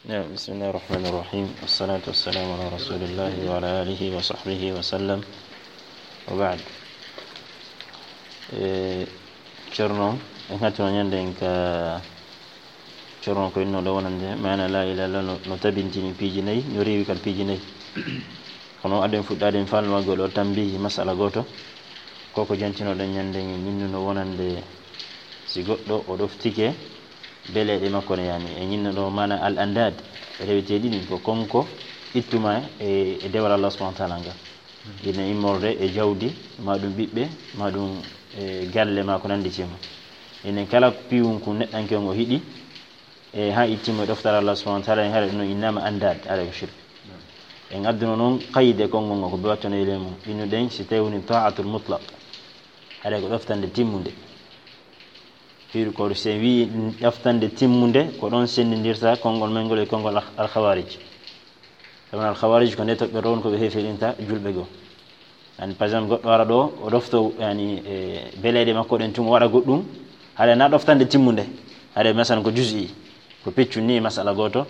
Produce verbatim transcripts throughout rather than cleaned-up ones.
Ya, bismillahir rahmanir rahim. Wassalatu wassalamu ala rasulillahi wa ala alihi wa sahbihi wa sallam. Wa ba'd. E, Ceerno, en hattuno ñande en ka Ceerno ko inno ɗo wonande maana la ilaha illallah no, no tabintini piiji nayi, no rewi kal piiji nayi. Kono aden fuɗɗaade en falmagol o tambihi masala gooto. Ko ko jantinoɗen ñande en minnuno wonande si goɗɗo o ɗoftike beleeɗe makko ne, yani, e ñinno ɗo maana al andad, e rewete ɗiɗi ko konko ittuma e, e dewal Allah subhanahu wa ta'ala ngal. Ina immorde e jawdi, ma ɗum ɓiɓɓe, ma ɗum e galle, ma ko nandi ci mum. Enen kala piwun kun neɗɗanke on o hiɗi, e ha ittima e ɗoftal Allah subhanahu wa ta'ala, en haɗa ɗum innama andad, haɗa ko shirk. En adduno noon qayde konngol ngol ko ɓe wattono e ley mum. Innuɗen si tawi woni ta'atul mutlaq, haɗa ko ɗoftande timmunde. Fiiru ko sen wi ɗoftande timmunde, ko ɗon senndindirta konngol men ngol e konngol al-, al-khawarij. Sabu al-khawarij ko nde toɓɓe ɗon ko ɓe hefirinta julɓe goo. Yani, par exemple, goɗɗo ara ɗo, o ɗofto, yani, e beleeɗe makko ɗen tun, o waɗa goɗɗum, haɗa na ɗoftande timmunde, haɗa masalan ko juz'i, ko peccu ni masala gooto,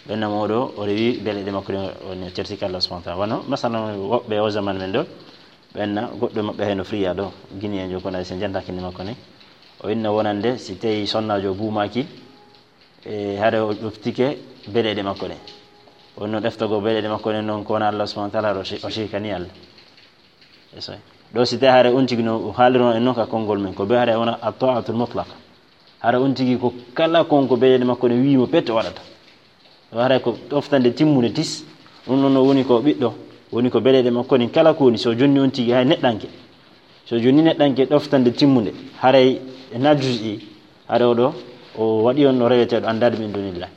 ɓenna mo ɗo, o rewi beleeɗe makko ɗen, o ne tertike Allah subhanahu wa ta'ala. Wano, masalan, woɓɓe o zaman men ɗo, ɓenna goɗɗo maɓɓe hayno Friya ɗo, Guinéen jo kono sen janta kindi makko ne. O inna wonande, si tawi sonnaajo buumaaki, e haɗa o ɗoftike beleeɗe makko ɗen. O no ɗeftogo beleeɗe makko ɗen noon ko wona Allah subhanahu wa ta'ala, o shi-, o shirkani Allah. Eso. Ɗo si tawi haɗa on tigi no haalirno en noon ka konngol men, ko ɓe haɗa wona at-ta'atul mutlaqa. Haɗa on tigi ko kala kon ko beleeɗe makko ɗen wi'i mo pet o waɗata. Ɗo haɗa ko ɗoftande timmunde tis. Ɗum ɗon no woni ko ɓiɗɗo, woni ko beleeɗe makko ɗen kala ko woni, so jonni on tigi hay neɗɗanke. So jonni neɗɗanke ɗoftande timmunde, haray na juz'i, haɗa o ɗo, o waɗi on no reweteeɗo andaade min dunillah.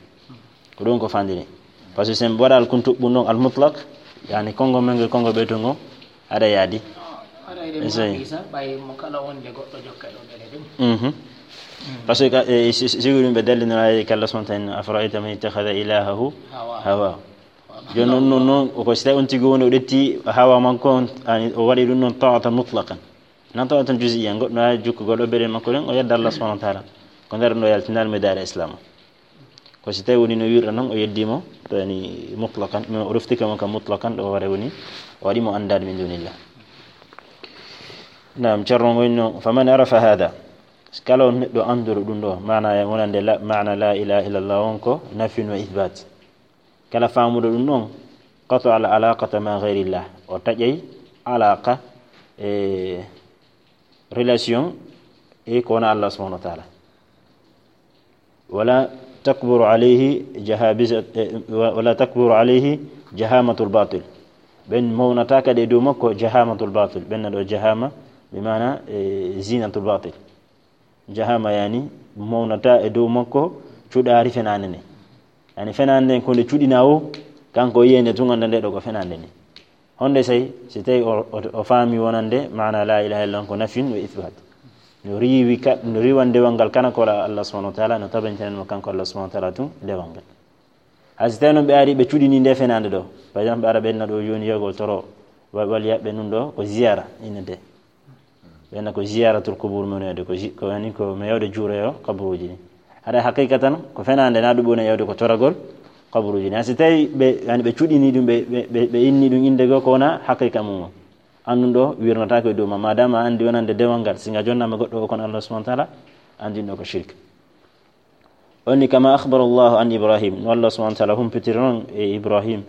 Ko ɗum ko fandini. Par ce que sen waɗal kun tuɓɓu noon al mutlaq, yani konngol men ngol konngol ɓeyto ngo, aɗa yaadi. Aɗa yiɗe Ese. Maaki sa, ɓay mo kala wonde goɗɗo jokka ɗo ɓele ɗum. Mhm. Par ce que, e, si, si, si ɗum ɓe dallinora e kala son tan, "Afara'ayta man ittakhadha ilahahu Hawa. hawa." Jooni noon, noon, noon, ko si tawi on tigi woni o ƴetti hawa makko on, ani, o waɗi ɗum noon ta'atan mutlaqan. Nan ta'atan juz'iyyan, goɗɗo na jukkugol o bele makko ɗen, o yedda Allah subhanahu wa ta'ala. Ko nder ɗo yaltinal mi daara Islam. Ko si tawi woni no wirra noon, o yeddi mo, to yani mutlaqan, mais o roftike mo kam mutlaqan, ɗo ware woni, o waɗi mo andaade min dunillah. Naam, Ceerno ngo inno, "Faman arafa hada." Kala on neɗɗo anduɗo ɗum ɗo, maana e wonande la, maana la ilaha illallah on ko nafyun wa ithbat. Kala faamuɗo ɗum ɗon, qata al alaqata ma ghayrillah. O taƴay alaqa e relation e ko wona Allah subhanahu wa ta'ala. Wala takburu alayhi jahabiza-, eh, wa-, wala takburu alayhi jahamatul batil. Ɓen mawnata kadi e dow makko jahamatul batil. Ɓen na ɗo jahama, bi maana, eh, zinatul batil. Jahama yani mawnata e dow makko cuɗaari fenaande nde. Yani fenaande nden ko nde cuɗinaa o, kanko o yiyande tun annda nde ɗo ko fenaande nde. Honde sey, si tawi o, o, o faami wonande maana la ilaha illallah ko nafyun wa ithbat. No riiwi ka, no riiwan dewal ngal kana ko Allah subhanahu wa ta'ala, no tabintinan mo kanko Allah subhanahu wa ta'ala tun dewal ngal. Hay si tawi noon ɓe ari ɓe cuɗini nde fenaande ɗo. Par exemple, ɓe ara ɓenna ɗo jooni yogol toro, wa-, wali yaɓɓe nun ɗo ko ziyara innete. Ɓenna ko ziyaratul kubur men wiyde, ko zi-, ko yani ko mi yawde juuroyo kaburuji ni. Haɗa haqiqa tan, ko fenaande na ɗum woni yawde ko toragol kaburuji ni. Hay si tawi ɓe, yani ɓe cuɗini ɗum, ɓe, ɓe, ɓe, ɓe inni ɗum innde goo ko wona haqiqa mum. Annun ɗo wirnata ko e dow ma, madama a andi wonande dewal ngal, singa jonnama goɗɗo o kono Allah subhanahu wa ta'ala, andin ɗo ko shirk. Onni kama akhbara Allahu an Ibrahim, no Allah subhanahu wa ta'ala humpitiri noon e Ibrahim,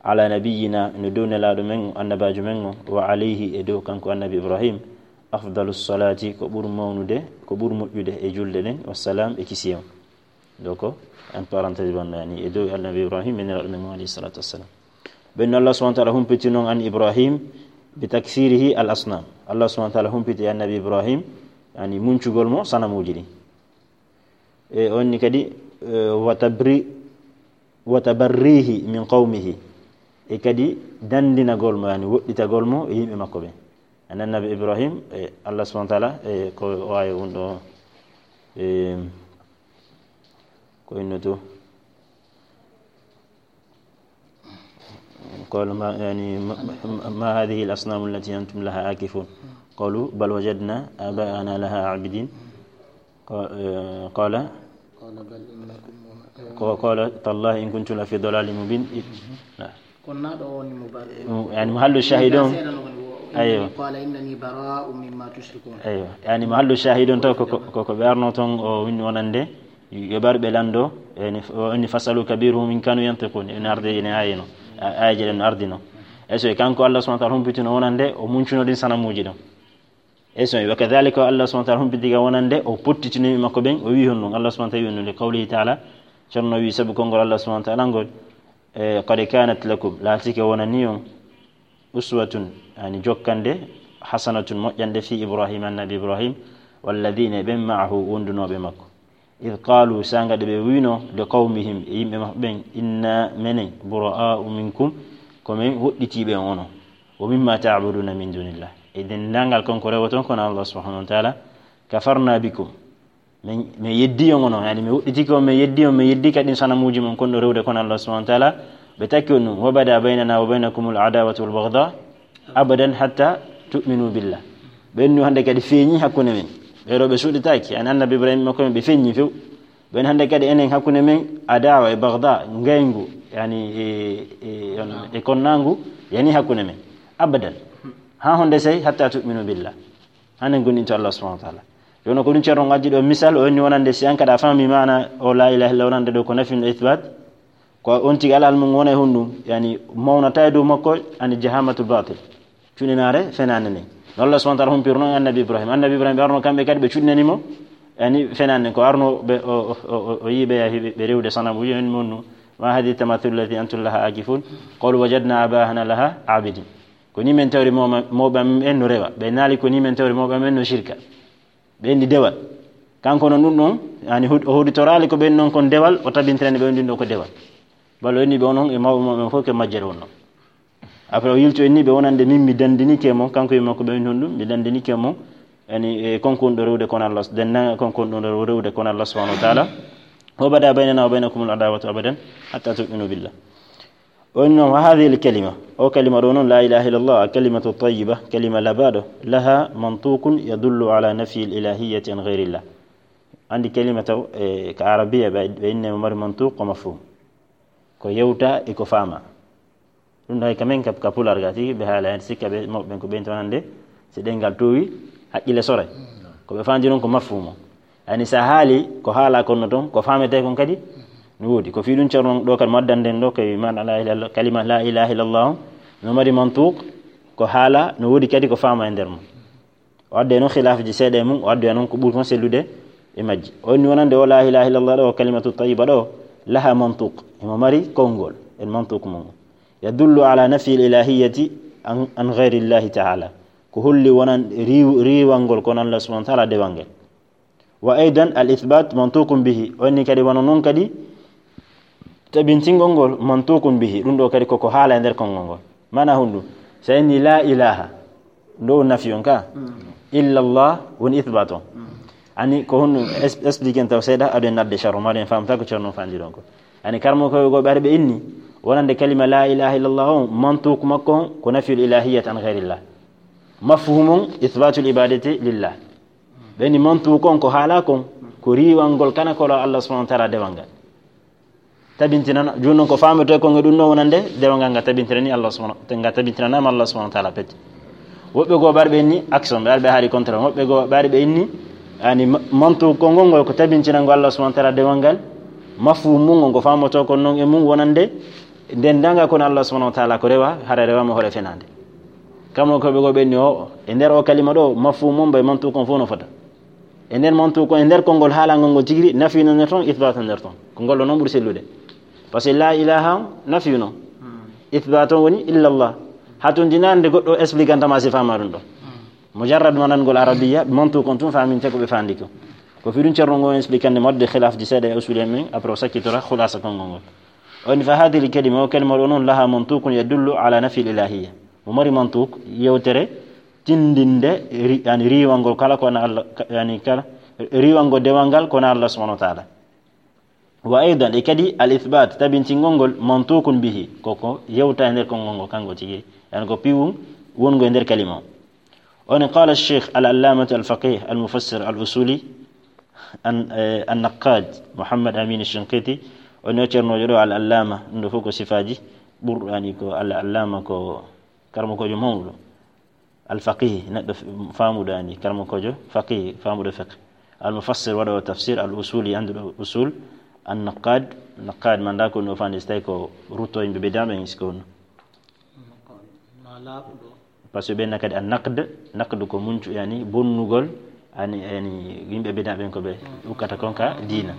ala nabiyyina, no dow nelaaɗo men, annabaajo men o, wa alayhi, e dow kanko annabi Ibrahim, afdalu salati, ko ɓur mawnude, ko ɓur moƴƴude e julde ɗen, wassalam, e kisiyam. Donc, en parenthèse, wonno yani, e dow annabi Ibrahim, e nelaaɗo men o, alayhi salatu wassalam. Ɓen no Allah subhanahu wa ta'ala humpitiri noon an Ibrahim, bi takthirihi al asnam. Allah subhanahu wa ta'ala humpiti annabi Ibrahim, yani, muncugol mo sanamuuji ɗin. E onni kadi, e, wa tabri-, wa tabarrihi min qawmihi. E kadi dandinagol mo, yani woɗɗitagol mo e yimɓe makko ɓen. An annabi Ibrahim, e, Allah subhanahu wa ta'ala, e, ko waawi un ɗo, e, ko innoto. قالوا ما، يعني، ما، ما هذه الأصنام التي أنتم لها عاكفون؟ قالوا بل وجدنا آباءنا لها عابدين. قا-، آه، قال قال بل إنكم Ko, qala tallahi in kuntum la fi dalalin mubin. I-, na. Kono na ɗo woni mo bar- Mm, yani, mahallu shahid on. Seeɗa no woni wo- Aywa. Innani qala innani bara'u mimma tushrikun. Aywa. Yani, mahallu shahid on taw ko, ko, ko, ko ɓe arno ton o winni wonande, yo ɓe ar ɓe lando, yani, o inni fasalu kabiruhum in kanu yantiqun, en arde ene ayino. A-, ayaji ɗen ardino. E so e kanko Allah subhanahu wa ta'ala humpitino wonande, o muncuno ɗin sanamuji ɗon. E so, wa kadhalika Allah subhanahu wa ta'ala humpiti ga wonande, o pottitino yimɓe makko ɓen, o wi honɗum, Allah subhanahu wa ta'ala wi honɗum, li qawlihi ta'ala, ceerno wi sabu konngol Allah subhanahu wa ta'ala ngol, e, qad kanat lakum, laatike wonani on, uswatun, yani jokkande, hasanatun moƴƴande, fi Ibrahim, annabi Ibrahim, walladhina, ɓen ma'ahu, wondunooɓe makko. Id qalu, sanga ɗe ɓe wino, li qawmihim, e yimɓe maɓɓe ɓen, inna, menen, bura'a'u minkum, ko men woɗɗitiiɓe on onon. Wa mimma ta'buduna min dunillah. E denndangal kon ko rewoton kono Allah subhanahu wa ta'ala, kafarna bikum. Men, men yeddi on onon, yani men woɗɗitike on, men yeddi on, men yeddi kadi sanamuji mon kon ɗo rewde kono Allah subhanahu wa ta'ala, ɓe takki on ɗum, wa bada baynana wa baynakumul adawatu wal baghdha abadan hatta tu'minu billah. Ɓen nu hande kadi feeñi hakkunde men. Ɓe ɗo ɓe suuɗitaaki, yani annabi Ibrahim makko men ɓe feeñi few. Ɓen hande kadi enen hakkunde men adawa e baghdha, ngayngu, yani e, e, on, e konnangu, yani hakkunde men. Abadan. Ha honde sey hatta tu'minu billah. Hanen goninto Allah subhanahu wa ta'ala. Jono ko ɗum ceerno addi ɗo misal, o inni wonande si an kada fami mana o la ilaha illa wonande ɗo ko nafin e ithbat. Ko on tigi alal mum wona e honɗum, yani mawnata e dow makko, ani jahamatul batil. Cuɗinaare fenaande nden. No Allah subhanahu wa ta'ala humpirno annabi Ibrahim. Annabi Ibrahim ɓe arno kamɓe kadi ɓe cuɗinani mo, yani fenaande nden. Ko arno ɓe, o, o, o, o, o yiɓe yahi ɓe, ɓe rewde sanamuji en monnu. Ma hadi tamathul lati antum laha akifun. Qalu wajadna abahana laha abidin. Ko ni men tawri mawɓe amen en no rewa. Ɓe naali ko ni men tawri mawɓe amen en no shirka. Ɓe enndi dewal. Kanko noon ɗum ɗon, yani hud-, o hoɗitoraali ko ɓen noon kon dewal, o tabintirani ɓe on ɗum ɗo ko dewal. Balo enni ɓe onon e mawɓe mawɓe fof ke majjere wonno. Après o yilto enni ɓe wonande min mi dandinike mo, kanko e makko ɓe on ɗum, mi dandinike mo, yani e konko ɗo rewde kon Allah, denna konko ɗo rewde kon Allah subhanahu wa ta'ala. Wa bada baynana wa baynakumul adawatu abadan hatta tu'minu billah. O inni noon, wa hadhihi al-kalima, o kalima ɗo noon, la ilaha illallah, kalimatu tayyiba, kalima labaɗo, laha mantukun yadullu ala nafyi al-ilahiyyati an ghayrillah. Andi kalima taw, e, ka arabiya ɓe, ɓe inne mo mari mantuk ko mafhum. Ko yewta e ko faama. Ɗum ɗo hay kamen ka, ka pular ga tigi, ɓe haala hen sikka ɓe, mawɓe ɓen ko ɓen to hande, si ɗengal towi, haqqille soray. Ko ɓe fandi noon ko mafhumo. Yani sa haali ko haala kon no toon, ko faamete kon kadi no woodi. Ko fii ɗum ceerno ɗo kadi mo addanden ɗo, kay man la ilaha illallah, kalima la ilaha illallah on, no mari mantuq, ko haala no woodi kadi ko faama e nder mum. O adde noon khilafji seeɗa e mum, o addoya noon ko ɓuri kon sellude e majji. O inni wonande o la ilaha illallah ɗo, o kalimatu tayyiba ɗo, laha mantuq, emo mari konngol, en mantuq mum. Yadullu ala nafyi al-ilahiyyati an, an ghayri Allahi ta'ala. Ko holli wonan riw-, riiwangol kon Allah subhanahu wa ta'ala dewal ngal. Wa aidan al-ithbat mantuqun bihi. O inni kadi wano noon kadi tabintingol ngol mantuqun bihi. Ɗum ɗo kadi koko haala e nder konngol ngol. Mana honɗum? So inni la ilaha. Ɗo nafi on ka? Illa Allah woni ithbat on. Ani ko honɗum es-, explique en taw seeɗa, aɗo en nadde sharru, ma ɗo en famta ko ceerno fandi ɗon ko. Ani karmo ko go ɓe ari ɓe inni, wonande kalima la ilaha illallah on, mantuq makko on ko nafyul ilahiyyat an ghayrillah. Mafhum on ithbatul ibadati lillah. Ɓe inni mantuq on ko haala kon, ko riiwangol kana ko Allah subhanahu wa ta'ala dewal ngal. Tabintinana, jooni noon ko faamete kon e ɗum ɗo wonande dewal ngal nga tabintirani Allah subhanahu, nga tabintiranama Allah subhanahu wa ta'ala pet. Woɓɓe goo ɓe ari ɓe inni action, ɓe ari ɓe haali contraire. Woɓɓe goo ɓe ari ɓe inni, yani ma-, mantuq kon ngol ngol ko tabintinango Allah subhanahu wa ta'ala dewal ngal, mafhum mum ngol ko faamoto kon noon e mum wonande dendagal kono Allah subhanahu wa ta'ala ko rewa, hara rewama hoore fenaande. Kamno ko ɓe goo ɓe inni o, e nder o kalima ɗo, mafhum mum ɓe mantuq kon fof no fota. E nder mantuq kon, e nder konngol haalangol ngol tigi, nafi no nder ton, ithbat no nder ton. Ko ngol ɗo noon ɓuri sellude. Parce que la ilaha on, nafi no. Ithbat on woni illallah. Hatundinande goɗɗo expliquantama si faama ɗum ɗo. Mujarrad manangol arabiya, mantuq on tun faaminte ko ɓe fandi ko. Ko fii ɗum ceerno ngon expliquande modde khilafji seeɗa e usul en men, après o sakkitora khulasa konngol ngol. O inni fa hadhihi al-kalima, o kalima ɗo noon laha mantuqun yadullu ala nafyi al-ilahiyya. Mo mari mantuq, yewtere, tindinde, ri-, yani riiwangol kala ko wona Allah, ka-, yani kala, riiwangol dewal ngal ko wona Allah subhanahu wa ta'ala. Wa aidan, e kadi al-ithbat, tabintingol ngol, mantuqun bihi, koko yewta e nder konngol ngol, kanko tigi, yani ko piwum wongo e nder kalima o. On qala al-sheikh al-allamah al-faqih al-mufassir al-usuli, an-, eh, an-naqqad Muhammad Amin al-Shinqiti, O no ceernoojo ɗo al-allama, ɗum ɗo fof ko sifaaji ɓurɗo, yani ko al-allama ko karmakoojo mawɗo. Al-faqih, neɗɗo f-, faamuɗo, yani karmakoojo faqih, faamuɗo fiqh. Al-mufassir, waɗoowo tafsir, al-usuli, annduɗo usul, an-naqad, naqad, manda ko no fandi, so tawi ko rutto yimɓe bid'a ɓen, siko no. Ma laaɓuɗo. Parce que ɓen kadi an-naqd, naqd ko muncu, yani bonnugol, ani, yani yimɓe bid'a ɓen ko ɓe ukkata kon ka diina.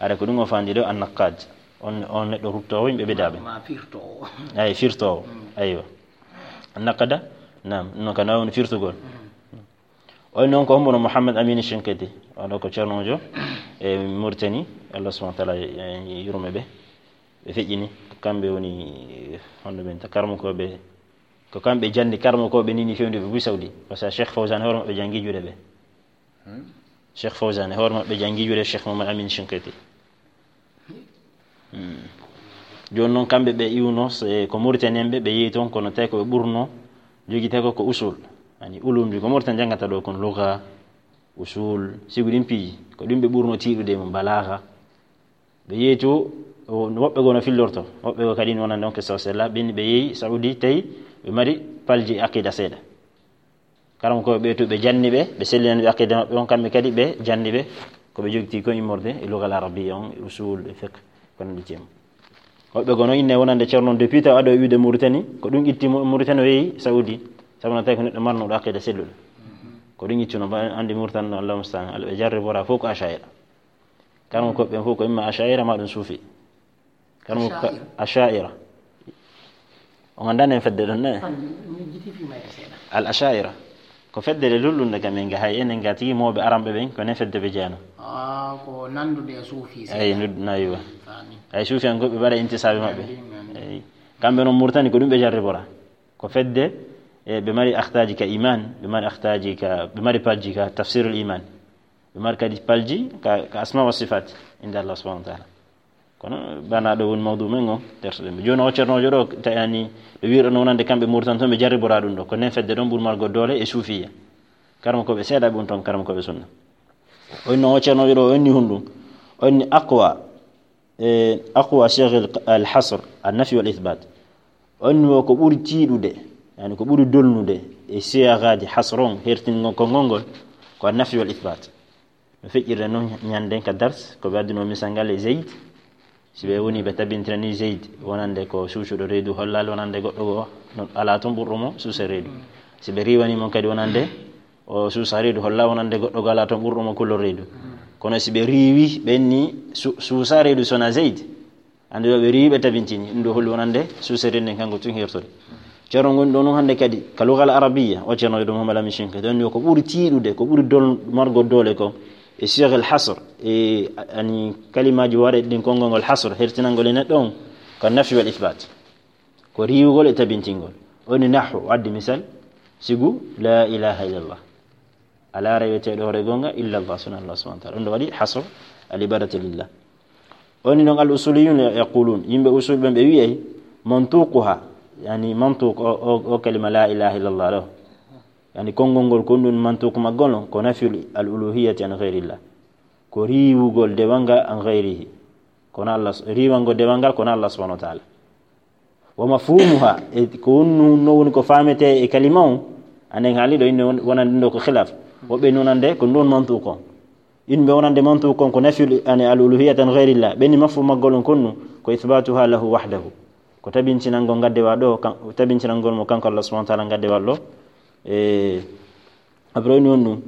Ara ko ɗum o fandi ɗo an-naqad. On, on neɗɗo ruttoowo yimɓe bid'a ɓen. Ma firtoowo. Ay, firtoowo. Aywa. Naqada, naam, non ka nawni firtugol. O noon ko hombono Mouhamed Amine Shinkiti, oɗo ko ceernoojo e Mauritanie, Allah subhanahu wa taala, eh, yurme ɓe. Ɓe feƴƴini, kamɓe woni, eh, hono ɓen ta karmakooɓe, ko kamɓe janni karmakooɓe ni, ni fewndi ɓe buy Saudi. Parce que Cheikh Fawzan hoore maɓɓe jangi juuɗe ɓe. Hmm? Cheikh Fawzan hoore maɓɓe jangi juuɗe Cheikh Mouhamed Amine Shinkiti. Hmm. Jooni noon kamɓe ɓe iwno, se ko Mauritanie en ɓe, ɓe yehi toon, kono tawi ko ɓe ɓurno jogitee ko, ko usul. Yani ulumji ko Mauritanie janngata ɗo, kono lugha, usul, sibu ɗin piiji, ko ɗum ɓe ɓurno tiiɗude e mum, balaaga. Ɓe yehi to, o, woɓɓe goo no fillorto, woɓɓe goo kadi no wonande on ke sawsella, ɓen ɓe yehi Saudi, tawi ɓe mari palji aqida seeɗa. Karamokooɓe ɓe to ɓe janni ɓe, ɓe sellinani ɓe aqida maɓɓe on, kamɓe kadi ɓe janni ɓe, ko ɓe jogiti ko immorde e lugal arabiya on, e usul, e fiqh, ko nanndi e mum. Woɓɓe goo no inne wonande ceerno on depuis taw ado e wiide Mauritanie, ko ɗum itti mo Mauritanie o yehi Saudi, sabu no tawi ko neɗɗo marnuɗo aqida selluɗo. Ko ɗum ittuno, ba anndi Mauritanie no, Allahu musta'an, ala ɓe jarribora fof ko Asha'ira. Karamokooɓe ɓen fof ko imma Asha'ira ma ɗum suufi. Kano ka Asha'ira. Asha'ira. On anndaa nen fedde ɗon, ne? Tan mi jiti fi mayre seeɗa. Al Asha'ira. Ko fedde le lullunde kam en ga hay enen ga tigi mooɓe aramɓe ɓen, ko nen fedde ɓe jeeno. Ah, ko nandude e suufi seeɗa. Eyi, nud-, na yiwa. Fami. Ay suufi en goɓe ɓe mbaɗa intisaaɓe maɓɓe. Andi, andi. Eyi. Kamɓe noon Mauritanie ko ɗum ɓe jarribora. Ko fedde, e ɓe mari akhtaaji ka iman, ɓe mari akhtaaji ka, ɓe mari palji ka tafsirul iman. Ɓe mari kadi palji ka, ka asma wa sifat, inda Allah subhanahu wa ta'ala. Kono bana ɗo woni mawdu men on, tertoɗen ɓe. Jooni o ceernoojo ɗo, ta-, yani, ɗo wi'uɗo no wonande kamɓe Mauritanie toon ɓe jarribora ɗum ɗo. Ko nen fedde ɗon ɓuri margo doole e suufiya. Karamokooɓe seeɗa ɓe woni toon, karamokooɓe sunna. O inni o ceernoojo ɗo, o inni hunɗum. O inni aqwa, e, aqwa siyagh al, al hasr, an nafi wal ithbat. O inni o ko ɓuri tiiɗude, yani ko ɓuri dolnude e siyaghaji hasr on, hertingol konngol ngol, ko an nafi wal ithbat. No feƴƴirde noon ñanden ka dars, ko ɓe adduno misal ngal e Zayd. Si ɓe woni ɓe tabintirani Zayd, wonande ko suusuɗo reedu hollaali, wonande goɗɗo goo, no alaa toon ɓurɗo mo suusa reedu. Si ɓe riiwani mo kadi wonande o suusa reedu holla, wonande goɗɗo goo alaa toon ɓurɗo mo kulol reedu. Kono si ɓe riiwi, ɓe inni su-, suusa reedu sona Zayd. Annde ɗo ɓe riiwi ɓe tabintini, ɗum ɗo holli wonande suusa reedu nden kanko tun hertori. Ceerno ngon ɗo noon hannde kadi, ka lugal arabiya, o ceerno ɗo Muhammad Lamin Shinqiti, ɗon yo ko ɓuri tiiɗude, ko ɓuri dol-, margo doole ko, e siyagh al hasr, e, ani kalimaaji waɗe ɗin konngol ngol hasr, hertinangol e neɗɗo on, ko nafi wal ithbat. Ko riiwugol e tabintingol. O ni nahwu, o addi misal, sibu, la ilaha illallah. Alaa reweteeɗo hoore goonga illa Allah, sona Allah subhanahu wa ta'ala. Ɗum ɗo waɗi hasr al ibadati lillah. O ni noon al usuliyun yaqulun, yimɓe usul ɓen ɓe wi'ay, mantuquha, yani mantuq o, o, o kalima la ilaha illallah ɗo. Yani konngol ngol ko ɗum mantuq maggol on, ko nafyul al uluhiyati an ghayrillah. Ko riiwugol dewal ngal an ghayrihi. Kono Allah, riiwangol dewal ngal kono Allah subhanahu wa ta'ala. Wa mafhumuha, e ko wonno, no woni ko faamete e kalima on, anen haali ɗo inne won-, wonande ɗo ko khilaf. Woɓɓe nonande ko ɗon mantuq on. Inɓe wonande mantuq on ko nafyul, ani al uluhiyata an ghayrillah. Ɓe ni mafhum maggol on konnu ko ithbatuha lahu wahdahu. Ko tabintinangol ngaddewa ɗo, kan-, tabintinangol mo kanko Allah subhanahu wa ta'ala ngaddewa ɗo. E, abroni on ɗum.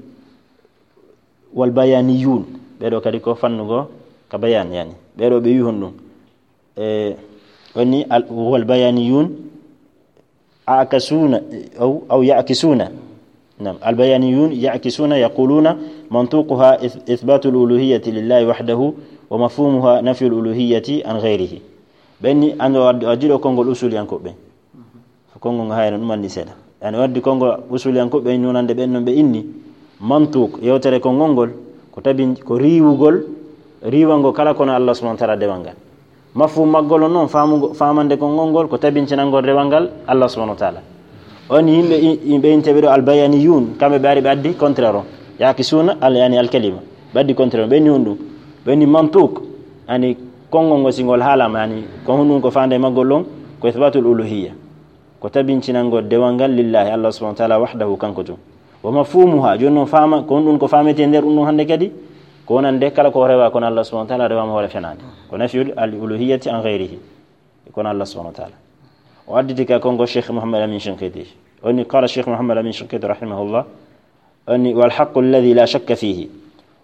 Wal bayaniyun. Ɓeɗo kadi ko fannugo ka bayan yani. Ɓeɗo ɓe wi honɗum. E, woni al-, wal bayaniyun akasuna, aw, aw ya'kisuna. Naam, al bayaniyun ya'kisuna yaquluna mantuquha ith-, ithbatul uluhiyyati lillahi wahdahu wa mafhumuha nafyul uluhiyyati an ghayrihi. Ɓenni ando addi-, addiɗo konngol usuliyankoɓe. Konngol ngo hayno ɗum anndi seeɗa. Yani o addi konngol usuliyankoɓe nunande ɓen non ɓe inni. Mantuq, yewtere konngol ngol, ko tabin-, ko riiwugol, riiwangol kala kono Allah subhanahu wa ta'ala dewal ngal. Mafhum maggol on noon, faamugo-, faamande konngol ngol, ko tabintinangol dewal ngal Allah subhanahu wa ta'ala. On yimɓe i-, yimɓe inteɓe ɗo albayaniyun, kamɓe ɓe ari ɓe addi contraire on. Ya'kisuna al-, yani al-kalima. Ɓe addi contraire on. Ɓe inni honɗum. Ɓe inni mantuq, yani Konngol ngol, si ngol haalaama, yani, ko honɗum ko faande maggol ɗon? Ko ithbatul uluhiyya. Ko tabintinangol dewal ngal lillahi, Allah subhanahu wa ta'ala, wahdahu, kanko tun. Wa mafhumuha, jooni noon faama, ko honɗum ko faametee nder ɗum ɗon hannde kadi? Ko wonande kala ko rewa kono Allah subhanahu wa ta'ala, rewaama hoore fenaande. Ko nafyul al uluhiyyati an ghayrihi. Kono Allah subhanahu wa ta'ala. O additi ka konngol Cheikh Muhammad Amin Shinqiti. O inni, qala Cheikh Muhammad Amin Shinqiti rahimahullah. O inni, wal haqqu alladhi la shakka fihi.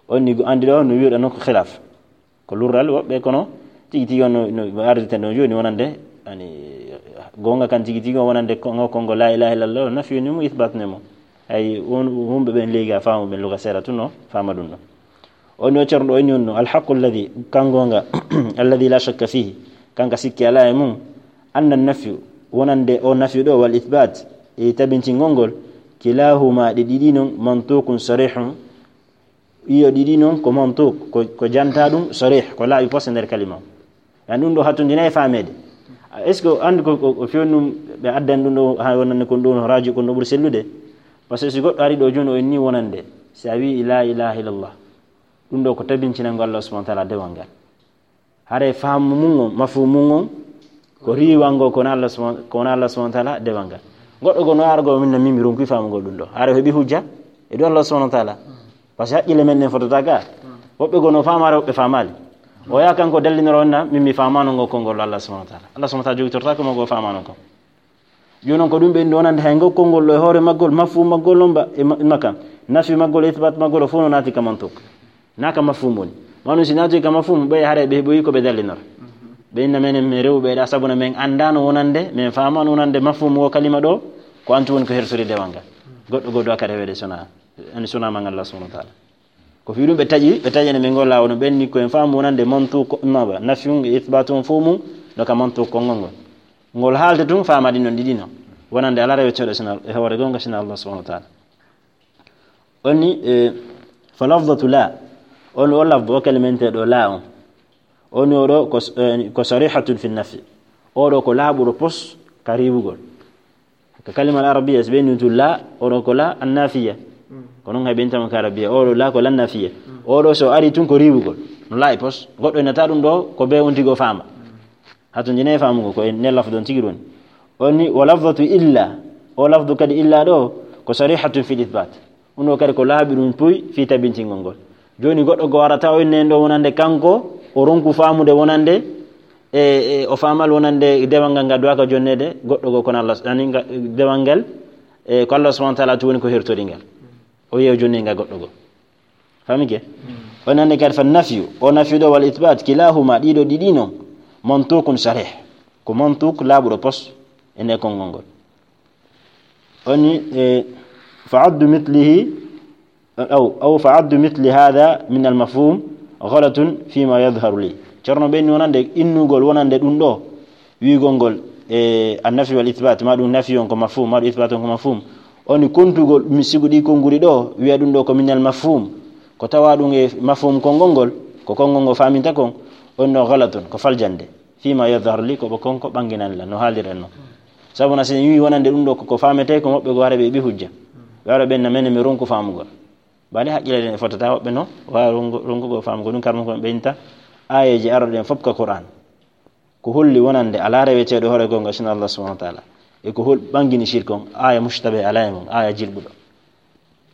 O inni, anndi ɗo no wi'uɗa noon ko khilaf. Ko lurral woɓɓe, kono tigi tigi on no, no arditen ɗon jooni wonande, yani, goonga kan tigi tigi on wonande ko, ngo konngol la ilaha illallah, nafi ni mo, ithbat ne mo. Hay won, wonɓe ɓen leegi a faamu ɓen luga seeɗa tun no faama ɗum ɗo. O inni o ceerno ɗo, o inni on no, al haqqu alladhi, kan goonga, alladhi la shakka fihi, kanka sikki alaa e mum, anna nafyu, wonande o nafyu ɗo, wal ithbat, e tabintingol ngol, kilahuma, ɗi ɗiɗi non, mantukun sarihun, iyo ɗiɗi non ko mantuk, ko, ko janta ɗum sarih, ko laaɓi pos e nder kalima o. Yani ɗum ɗo hattondina e faameede. Est-ce que anndi ko, ko, ko feewni ɗum ɓe addan ɗum ɗo, haa wonande kon ɗo no rajo, kon ɗo ɓuri sellude? Parce que si goɗɗo ari ɗo jooni, o inni wonande, si a wi'i la ilaha illallah, ɗum ɗo ko tabintinango Allah subhanahu wa ta'ala dewal ngal. Hare faamu mum on, mafhumu mum on, ko riiwango ko wona Allah subhanahu, ko wona Allah subhanahu wa ta'ala dewal ngal. Goɗɗo goo no ara goo, min na min mi ronki faamugol ɗum ɗo. Hare o heɓi hujja e dow Allah subhanahu wa ta'ala. Parce que haqqille men ɗen fotata ga. Woɓɓe goo no faamaare, woɓɓe faamaali. O yaha kanko dallinoro wonna, min mi faamaano ngo konngol Allah subhanahu wa ta'ala. Allah subhanahu wa ta'ala jogitortaako mo goo faamaano ko. Jooni noon ko ɗum ɓe wonande hay ngol konngol ɗo e hoore maggol, mafhum maggol noon ba, e ma-, makka. Nafi maggol, ithbat maggol, o fof no naati ka mantuk. Na ka mafhum woni. Manu si naati ka mafhum, ɓe hare ɓe heɓoyi ko ɓe dallinora. Ɓe inna menen, men rewɓe ɗa, sabu na men anndaano wonande, men faamaano wonande mafhum o kalima ɗo, ko antu woni ko hersori dewal ngal. Goɗɗo goɗɗo akka reweede sona, ani sona man Allah subhanahu wa ta'ala. Ko fii ɗum ɓe taƴi, ɓe taƴani ɓe ngol laawol no ɓenni ko en faamu wonande mantuq, ma ba, nafyun e ithbatun fof mum, no ka mantuq konngol ngol. Ngol haalde tun faama ɗin non ɗiɗi non. Wonande alaa reweteeɗo sina, e hoore goonga sina Allah subhanahu wa ta'ala. Onni, e, fa lafdatu la. On o lafdu o kalimenteeɗo la on. Onni oɗo ko, e, ko sarihatun fi nafi. Oɗo ko laaɓuɗo pos ka riiwugol. Ka kalima al arabiya, so ɓe inni tun la, oɗo ko la annafiya. Ko non hay ɓe inta mo ka arabiya, oɗo la ko la nafiya. Oɗo so ari tun ko riiwugol. No laaɓi pos. Goɗɗo innata ɗum ɗo, ko be on tigi o faama. Hato njene faamugo ko en ne lafdu on tigi ɗon. Onni, wa lafdatu illa. O lafdu kadi illa ɗo, ko sarihatun fil ithbat. Ɗum ɗo kadi ko laaɓi ɗum puy fii tabintingol ngol. Jooni goɗɗo goo arata o inne en ɗo wonande kanko, o ronku faamude wonande, e, e, o faamal wonande dewal ngal ngal duwaka jonneede, goɗɗo goo kono Allah, ani nga-, dewal ngal, e, ko Allah subhanahu wa ta'ala tun woni ko hertori ngal. O yeewa jonni ngal goɗɗo goo. Famike? O nande kadi fa nafyu, o nafyu ɗo wal ithbat, kilahuma, ɗiɗo ɗiɗi non, mantukun sarih. Ko mantuk laaɓuɗo pos e nde konngol ngol. Onni, e, fa addu mithlihi, aw, aw fa addu mithli hadha min al mafhum ghalatun fima yadhharu li. Ceerno ɓe inni wonande innugol wonande ɗum ɗo, wi'ugol ngol, e, an nafi wal ithbat, ma ɗum nafi on ko mafhum, ma ɗum ithbat on ko mafhum. Onni kontugol, mi sigu ɗi konnguli ɗo, wi'a ɗum ɗo ko min al mafhum. Ko tawa ɗum e mafhum konngol ngol, ko konngol ngol faaminta kon, on no ghalatun, ko faljande. Fima yadhharu li, ko ɓe konko ɓanginani lan, no haalirɗen non. Sabu na si en wi'i wonande ɗum ɗo ko, ko faametee, ko moɓɓe goo hare ɓe heɓi hujja. Ɓe ara ɓen na menen mi ronku faamugol. Bale haqqille ɗen e fotata woɓɓe no waawi rongu-, ronkugo faamugol ɗum, karma ko ɓe inta aayeeje arɗe ɗen fof ka Qur'an. Ko holli wonande alaa reweteeɗo hoore goonga sina Allah subhanahu wa ta'ala. E ko hol ɓangini shirk on, aaya mushtabih alaa e mum, aaya jilɓuɗo.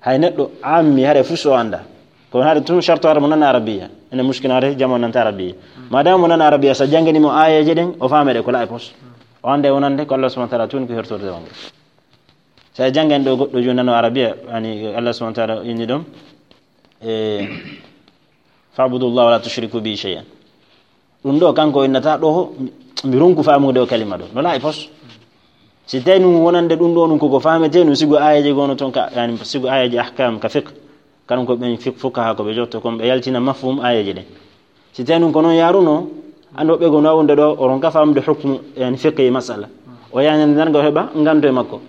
Hay neɗɗo ammi hare fuu so annda. Ko hare tun sharto hare mo nana arabiya. Ene mushkil hare jamo nanta arabiya. Madama mo nana arabiya, sa jangani mo aayeeje ɗen, o faame ɗe ko laaɓi pos. O annda e wonande ko Allah subhanahu wa ta'ala tun ko hertorde wonde. Sa jangani ɗo goɗɗo jooni nano arabiya, yani Allah subhanahu wa ta'ala inni ɗum, e, "Fa'budu Allah wa la tushriku bihi shay'an." Ɗum ɗo kanko innata ɗo, mi ronku faamude o kalima ɗo. No laaɓi pos. Si tawi ɗum wonande ɗum ɗo, ɗum koko faametee, ɗum sigo aayeeje gono ton ka, yani sigo aayeeje ahkam ka fiqh. Kanum ko ɓen fiqh, fuqaha ko ɓe jotto kon, ɓe yaltina mafhum aayeeje ɗen. Si tawi ɗum ko non yaaruno, anndu woɓɓe goo no wonde ɗo, o ronka faamude hukmu, yani fiqh e masala. O yani darnga o heɓa nganto e makko.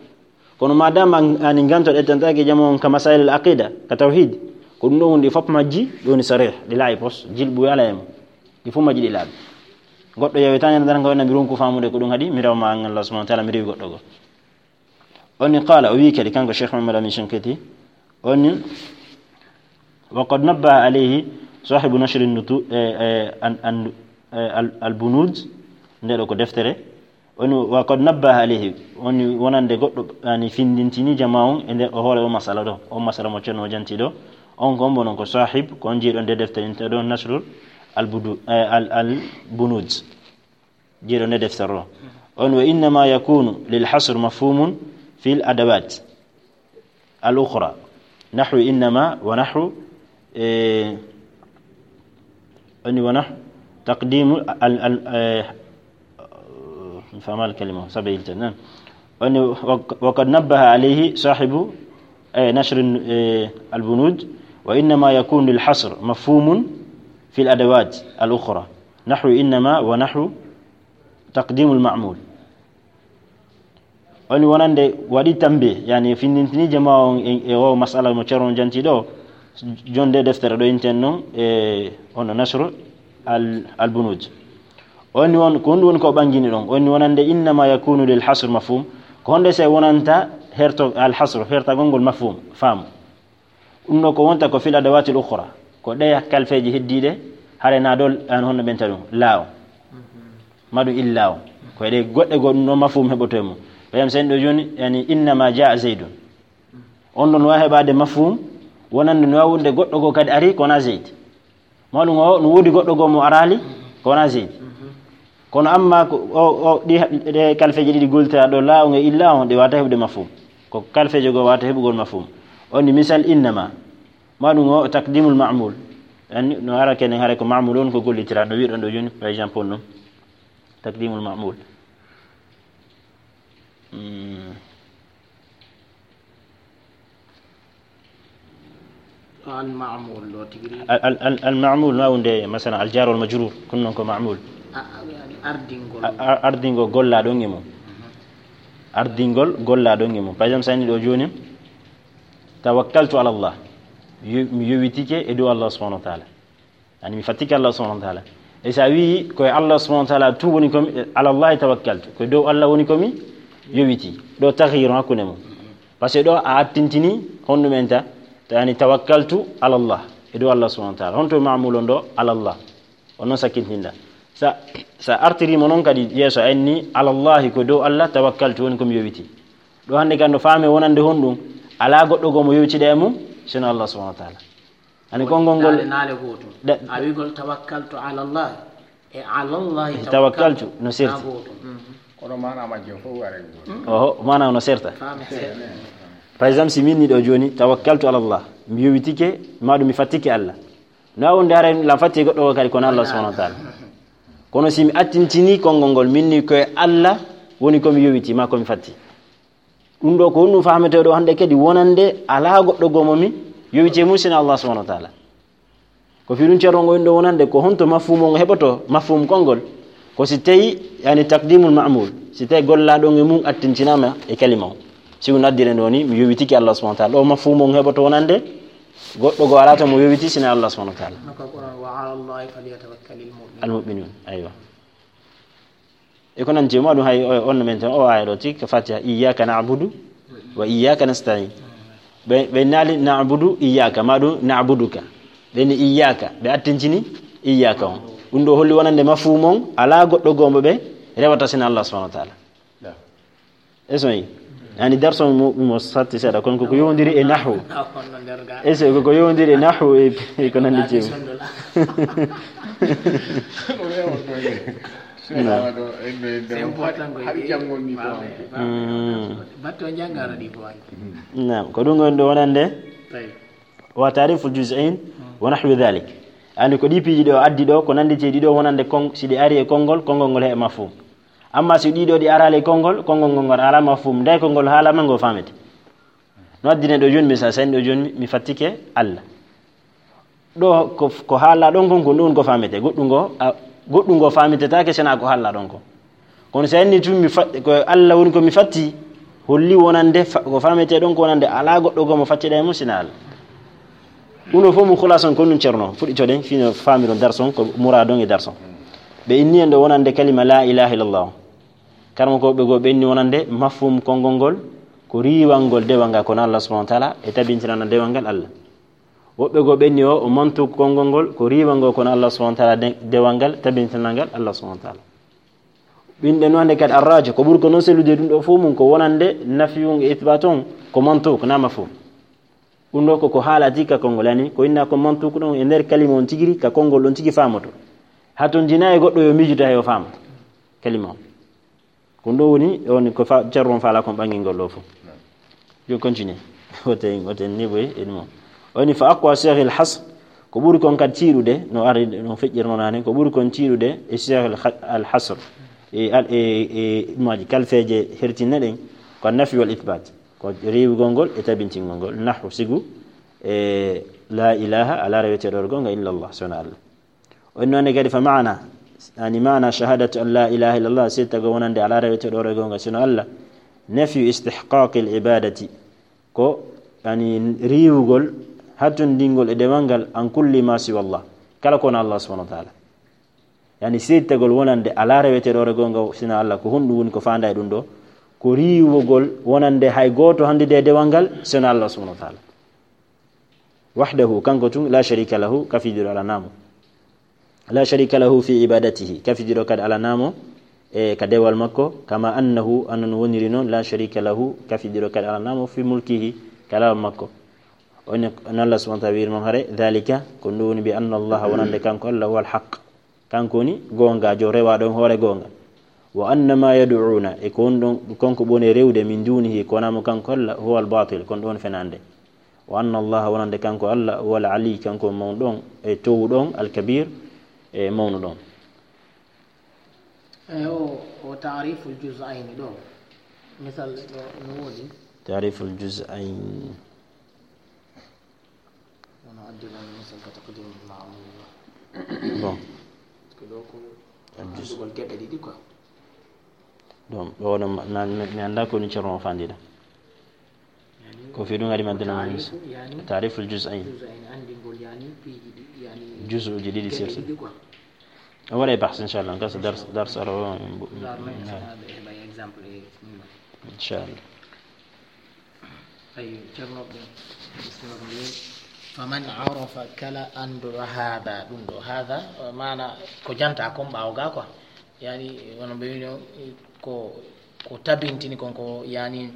Kono madama an, ani nganto ɗettantaake jamo on ka masail al aqida, ka tawhid, ko ɗum ɗo woni ɗi fof majji, ɗi woni sarih, ɗi laaɓi pos, jilɓu alaa e mum. Ɗi fof majji ɗi laaɓi. Goɗɗo yewetaani darnga wona mi ronku faamude ko ɗum haɗi, mi rewa ma an Allah subhanahu wa ta'ala, mi rewi goɗɗo goo. Onni qala, o wi kadi kanko Cheikh Muhammad Amin Shinqiti, onni, wa qad nabbaha alayhi sahibu nashri nutu-, e, e, an, an, eh, al, al bunud, nde ɗo ko deftere. Woni, wa qad nabbaha alayhi, woni wonande goɗɗo, yani, findintini jama on e nder o hoore o masala ɗo, o masala mo Ceerno o janti ɗo. On ko on bonon ko sahib, ko on jeeɗo nde deftere inte ɗo, Nasrul al budu, eh, al, al bunud. Jeeɗo nde deftere ɗo. On, wa innama yakunu lil hasr mafhumun fil adawat al ukhra. Nahwu innama wa nahwu, eh, woni wa nahwu taqdimu al, al, eh, mi faama al kalima, sabe ilta, naam. Woni wa, wa qad nabbaha alayhi sahibu, eh, nashr, eh, al bunud, wa innama yakunu lil hasr mafhumun fil adawat al ukhra. Nahwu innama wa nahwu taqdimu al ma'mul. Woni wonande waɗi tambe, yani, findintini jama on e, e o masala mo Ceerno janti ɗo, jonde deftere ɗo inten non, e ono Nasru al, al Bunud. Woni won, ko honɗum woni ko ɓangini ɗon? Woni wonande innama yakunu lil hasr mafhum, ko honde se wonanta herto, al hasr, hertagol ngol mafhum, faamu. Ɗum ɗo ko wonta ko fil adawatil ukhra, ko ɗe kalfeeji heddiiɗe, hare na ɗo an honno ɓenta ɗum, laaw. Ma ɗum illa o. Ko e ɗe goɗɗe goo ɗum ɗo mafhum heɓoto e mum. Ɓe yam sen ɗo jooni, yani, innama jaa Zaydun. On ɗon waawi heɓaade mafhum, wonande no waawi wonde goɗɗo goo kadi ari, ko wona Zayd. Ma ɗum o, no woodi goɗɗo goo mo araali, ko wona Zayd. Kono amma ko o, o, ɗi, ɗe kalfeeje ɗiɗi gollitiraaɗe ɗo, laaw e illa on, ɗe waawata heɓude mafhum. Ko kalfeeje goo waawata heɓugol mafhum. On ni misal innama. Ma ɗum o taqdimul ma'mul. Anni, no ara kenen hare ko ma'mul on ko gollitiraaɗo. No wi'uɗon ɗo jooni, par exemple, on ɗum. Taqdimul ma'mul. Hmm. Ɗo al ma'mul ɗo tigi ri. Al, al, al, al ma'mul no wonde, masalan, al jar wal majrur, kun non ko ma'mul. A, a, yani ardingol. A, a, ardingol gollaaɗo on e mum. Mhm. Ardingol gollaaɗo on e mum. Par exemple, sa inni ɗo jooni, tawakkaltu ala Allah. Yo-, mi yowitike e dow Allah subhanahu wa ta'ala. Yani mi fattike Allah subhanahu wa ta'ala. E sa wi'i ko e Allah subhanahu wa ta'ala tu woni ko mi, ala Allahi tawakkaltu. Ko e dow Allah woni ko mi yowiti. Ɗo taghyir hakkunde mum. Parce que ɗo a attintini honɗum enta, ta-, yani tawakkaltu ala Allah. E dow Allah subhanahu wa ta'ala. Honto ma'mul on ɗo ala Allah. On non sakkintinɗa. Sa, sa artiri mo non kadi yeeso a inni ala Allahi ko dow Allah tawakkaltu woni ko mi yowiti. Ɗo hannde kan no faame wonande honɗum? Alaa goɗɗo goo mo yowitiɗa e mum, sino Allah subhanahu wa ta'ala. Ani konngol ngol naale, naale gootum. Da-, a wi'gol tawakkaltu ala Allah e ala Allah tawakkaltu, tawakkaltu no serti. Na gootum. Mhm. Kono maana majjum fof waray gootum. Oho, maana no serta. Faami seeɗa. Par exemple, si min ni ɗo jooni, tawakkaltu ala Allah, mi yowitike, ma ɗum mi fattike Allah. No a wonde haray la fatti goɗɗo goo kadi kono Allah subhanahu wa ta'ala. Kono si mi attintini konngol ngol, min ni ko e Allah woni ko mi yowiti, ma ko mi fatti. Ɗum ɗo ko honɗum faametee ɗo hannde kadi wonande alaa goɗɗo goo mo mi yowiti e mum sino Allah subhanahu wa ta'ala. Ko fii ɗum Ceerno ngo ɗo wonande ko honto mafhum ngo heɓoto, mafhum konngol? Ko si tawi, yani, taqdimul ma'mul, si tawi gollaaɗo on e mum attintinaama e kalima o. Si ɗum addire ɗo ni, mi yowitike Allah subhanahu wa ta'ala. Ɗo mafhum ngo heɓoto wonande goɗɗo goo alaa to mo yowiti sino Allah subhanahu wa ta'ala. No ko Qur'an, "Wa ala Allahi falyatawakkalil mu'minun." Al mu'minun, aywa. E ko nanndi e mum, ɗum hay o, on no men tan, o aaya ɗo tigi, ko Fatiha, "Iyyaka na'budu wa iyyaka nasta'in." Ɓe, ɓe naali, "Na'budu iyyaka," ma ɗum, "Na'buduka." Ɓe ni, "Iyyaka," ɓe attintini, "Iyyaka" on. Ɗum ɗo holli wonande mafhum on, alaa goɗɗo goo mo ɓe rewata sino Allah subhanahu wa ta'ala. Est-ce que yani darso mo, mo satti seeɗa, kono koko yowondiri e nahwu. Est-ce que koko yowondiri e nahwu e, e ko nanndi e mum? Naam. C'est important ko hari janngol ni ko. Hmm. Batto janngara ɗi ko waɗi. Naam, ko ɗum woni ɗo wonande. Tawi. Wa ta'riful juz'ain wa nahwi dhalik. Anndi ko ɗi piiji ɗo addi ɗo, ko nannditi e ɗi ɗo wonande kon-, si ɗi ari e konngol, konngol ngol heɓa mafhum. Amma si ɗi ɗo ɗi araali e konngol, konngol ngol ngol alaa mafhum. Nde konngol haalaama ngol faamete. No addine ɗo jooni, misal, sa inni ɗo jooni, mi fattike Allah. Ɗo ko, ko haala ɗon kon, ko ɗum ko faamete. Goɗɗum ngo, a, goɗɗum ngo faamitetaake sina ko haala ɗon kon. Kono sa inni tun mi fa-, ko Allah woni ko mi fatti, holli wonande fa-, ko faamete ɗon ko wonande alaa goɗɗo goo mo fattiɗa e mum sina Allah. Ɗum ɗo fof mo khulasan ko ɗum Ceerno, fuɗɗitoɗen fino faamiron darson, ko muradon e darson. Ɓe inni en ɗo wonande kalima la ilaha illallah. Karamokooɓe goo ɓe inni wonande mafhum konngol ngol, ko riiwangol dewal ngal kono Allah subhanahu wa ta'ala, e tabintinana dewal ngal Allah. Woɓɓe goo ɓenni o, o mantuuku konngol ngol, ko riiwangol kono Allah subhanahu wa ta'ala de-, dewal ngal, tabintinal ngal Allah subhanahu wa ta'ala. Ɓinɗe no hannde kadi arraaji, ko ɓuri ko noon sellude ɗum ɗo fof mum, ko wonande nafiyun e ithbaat on, ko mantuuku, naa mafhum. Ɗum ɗo ko, ko haalati ka konngol, yani, ko inna ko mantuuku ɗon e nder kalima on tigiri, ka konngol ɗon tigi faamoto. Haa toon jina e goɗɗo yo miijude hay o faama kalima on. Ko ɗum ɗo woni, on ko fa-, ceerno on faala kon ɓangingol ɗo fof. Yo continue. Woten, woten niveau e ɗum o. O ni fa aqwa siyaghi al-hasr, ko ɓuri kon kadi tiiɗude, no ari, no feƴƴirno naane, ko ɓuri kon tiiɗude e siyaghi al-ha-, al-hasr. E al-, e, e maaji kalfeeje hertinne ɗen, ko an-nafyu wal ithbaat. Ko riiwugol ngol e tabintingol ngol. Nahwu sigu, e la ilaha, alaa reweteeɗo e goonga illa Allah, so wonaa Allah. O inni noon kadi fa maana, yani maana shahadatu an la ilaha illallah, seedtagol wonande alaa reweteeɗo e goonga sino Allah, nafyu istihqaqil ibadati, ko yani riiwugol, hattondingol e dewal ngal, an kulli ma siwa Allah, kala ko wonaa Allah subhanahu wa ta'ala. Yani seedtagol wonande alaa reweteeɗo e goonga sino Allah, ko honɗum woni ko faandaa e ɗum ɗo? Ko riiwugol wonande hay gooto hanndude e dewal ngal sino Allah subhanahu wa ta'ala. Wahdahu, kanko tun, la sharika lahu, kafidiiɗo alaa mo. La sharika lahu fi ibadatihi, kafidiiɗo kadi alaa mo e ka dewal makko, kama annahu, hono no woniri noon, la sharika lahu, kafidiiɗo kadi alaa mo fi mulkihi, ka lawol makko. O ni, no Allah subhanahu wa ta'ala wiiri noon hare, dhalika, ko ɗum woni bi anna Allah, wonande kanko Allah, huwa al-haq. Kanko woni goongaajo, rewaaɗo on hoore goonga. Wa anna ma yad'una, e ko woni ɗon, kanko ɓe woni rewde, min dunihi, ko wonaa mo kanko Allah, huwa al-batil, ko ɗum woni fenaande. Wa anna Allah, wonande kanko Allah, huwa al-ali, kanko mawɗo on, e towɗo on, al-kabir, e mawnuɗo on. Eyi, o, o ta'riful juz'ayni ɗo. Misal ɗo no woodi. Ta'riful juz'ayni. Wono addi ɗon misal ka taqdim ma'mul. Bon. Ko ɗo ko al juz'. Anndugol geɓe ɗiɗi quoi. Ɗum, ɗo, ɗum, na, mi, mi anndaa ko ni ceerno o fandida. Yani, ko fii ɗum ari maddana mo ta'rifu, yani, ta'riful juz'ayn. Juz'ayn, anndingol, yani, piiji ɗi, yani, juz'uuji ɗiɗi geɓe sirsi. Ɗiɗi quoi. O waɗay bahs, inchallah, gasa dars, dars aro, bu-, Dar men, na. Sama ɓe heɓa exemple e ɗum. Inchallah. Ay, ceerno ɓe, bismillah. Faman arafa, kala annduɗo haada, ɗum ɗo, haada, maana ko janta kon ɓaawo ga quoi. Yani, wono ɓe wino, ko, ko tabintini kon ko, yani,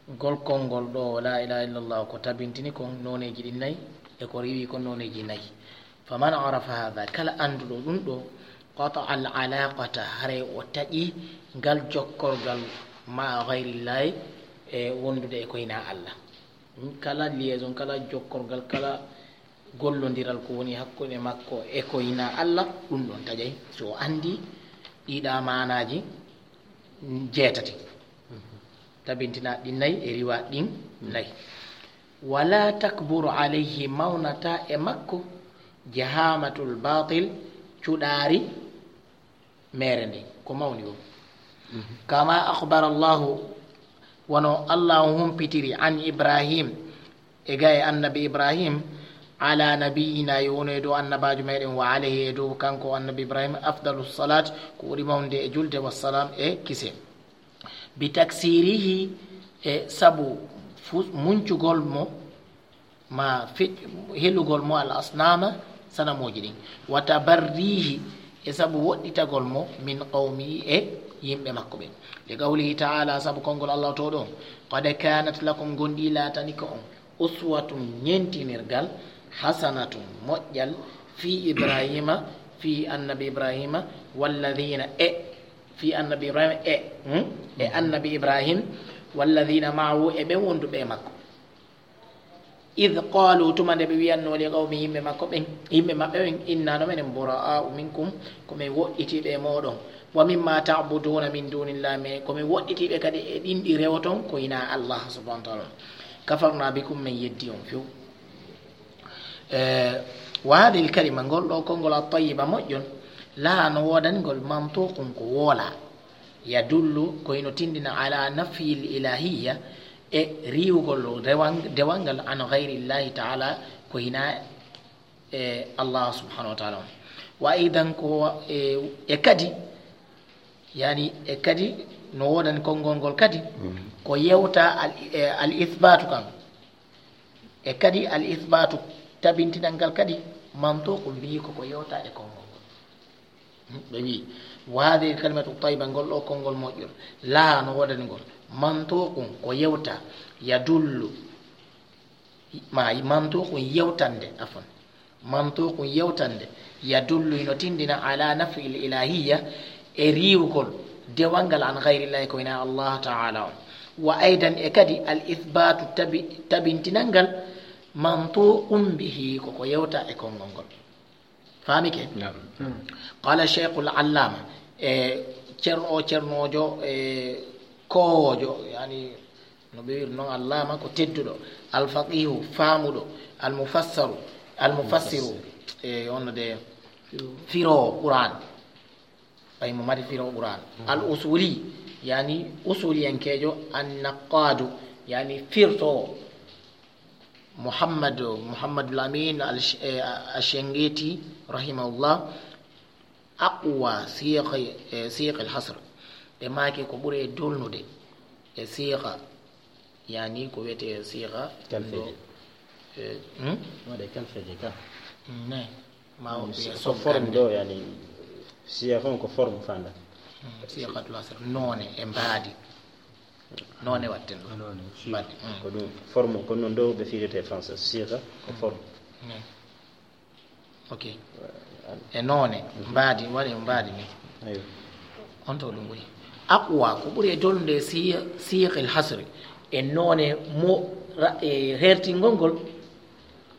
ngol konngol ɗo, la ilaha illallah, ko tabintini kon nooneeji ɗin nayi, e ko riiwi kon nooneeji nayi. Faman arafa haada, kala annduɗo ɗum ɗo, qata al alaqata, haray o taƴi ngal jokkorgal ma gayrillahi, e wondude e ko hinaa Allah. Kala liaison, kala jokkorgal, kala gollondiral ko woni hakkunde makko e ko hinaa Allah, ɗum ɗon taƴay. So o anndi ɗiɗa maanaaji jeetati, tabintinaaɗi ɗin nayi e riwaaɗi ɗin nayi. Wala takburu alayhi, mawnata e makko, jahamatul batil, cuɗaari meere nden, ko mawni o. Kama akhbara Allahu, wano Allahu humpitiri, an Ibrahim, e ga e annabi Ibrahim, ala nabiyina, yo wono e dow annabaajo meɗen, wa alayhi, e dow kanko annabi Ibrahim, afdalu salat, ko ɓuri mawnude e julde, wassalam, e kise. Bi taksirihi, e sabu fu-, muncugol mo, ma fe-, helugol mo al asnama, sanamooji ɗin. Wa tabarrihi, e sabu woɗɗitagol mo min qawmihi, e yimɓe makko ɓen. Li qawlihi ta'ala, sabu konngol Allah to ɗon, qad kanat lakum, gonɗi laatani ko on, uswatun, ñentinirgal, hasanatun, moƴƴal, fi Ibrahima, fi annabi Ibrahima, walladhina, e, fi annabi Ibrahima, e, hmm? E annabi Ibrahim, walladhina ma'ahu, e ɓen wonduɓe e makko. Idh qalu, tuma nde ɓe wiyanno li qawmi, yimɓe makko ɓen, yimɓe maɓɓe ɓen, inna, no menen, bura'a'u minkum, ko men woɗɗitiiɓe e mooɗon, wa mimma ta'buduna min dunillah, me, ko men woɗɗitiiɓe kadi e ɗin ɗi rewoton ko hinaa Allah subhanahu wa ta'ala. Kafarna bikum, men yeddi on few. Eh, wa hadhihi al-kalima, ngol ɗo konngol at-tayyiba moƴƴol, laha, no woodani ngol, mantuqun, ko woola, yadullu, ko hino tindina, ala nafyi al-ilahiyya, e riiwugol rewan-, dewal ngal, an ghayri Llahi ta'ala, ko hinaa e Allah subhanahu wa ta'ala on. Wa aidan, ko, e, e kadi, yani, e kadi no woodani konngol ngol kadi, ko yewta al, e, al ithbatu kan. E kadi al ithbatu Tabintinal ngal kadi, mantuqun bihi, koko yewta e konngol ngol. Ɓe wi, wa hadhihi kalimatu tayyiba, ngol ɗo konngol moƴƴol, laha no woodani ngol, mantuqun ko yewta, yadullu, ma mantuqun yewtande, afwan, mantuqun yewtande, yadullu hino tindina ala nafyil ilahiyya, e riiwgol dewal ngal an ghayrillahi ko hinaa Allah ta'ala on. Wa aydan e kadi al ithbatu tabi-, tabintinal ngal mantuqun bihi koko yewta e konngol ngol. Faamike? Naam. Qala Sheikhul Allama, e ceerno o ceernoojo, e koowoojo, yani no ɓe wiiri noon, Allama ko tedduɗo, al faqihu faamuɗo, al mufassaru, al mufassiru, e on de firoowo Qur'an. Ɓay mo mari firoowo Qur'an. Al usuli, yani usuliyankeejo, an naqadu, yani firtoowo. Muhammad, Muhammadul Amin al-, eh, Ash-Shinqiti, rahimahullah, aqwa siyaq, eh, siyaq al-hasr. Ɓe maaki ko ɓuri e dolnude e siqa, yani ko wiyetee siqa. Kalfeeje. Eh, hmm? Waɗe kalfeeje ka. Ne, ma o wiya ko forme sonkande. Ɗo, yani, siqa on ko forme fanda. Hmm, siqatul hasr, noone e mbaadi. Noone watten ɗo. Noone, siqa. Mbaadi, hmm. Ko ɗum forme, ko noon ɗo ɓe firete français. Siqa ko forme. Ne. Ok. E noone, mbaadi, waɗi mbaadi ni. Aywa. On to ɗum ɓuri. Aqwa, ko ɓuri e dolnude si-, siqil hasri. E noone mo ra-, e hertingol ngol,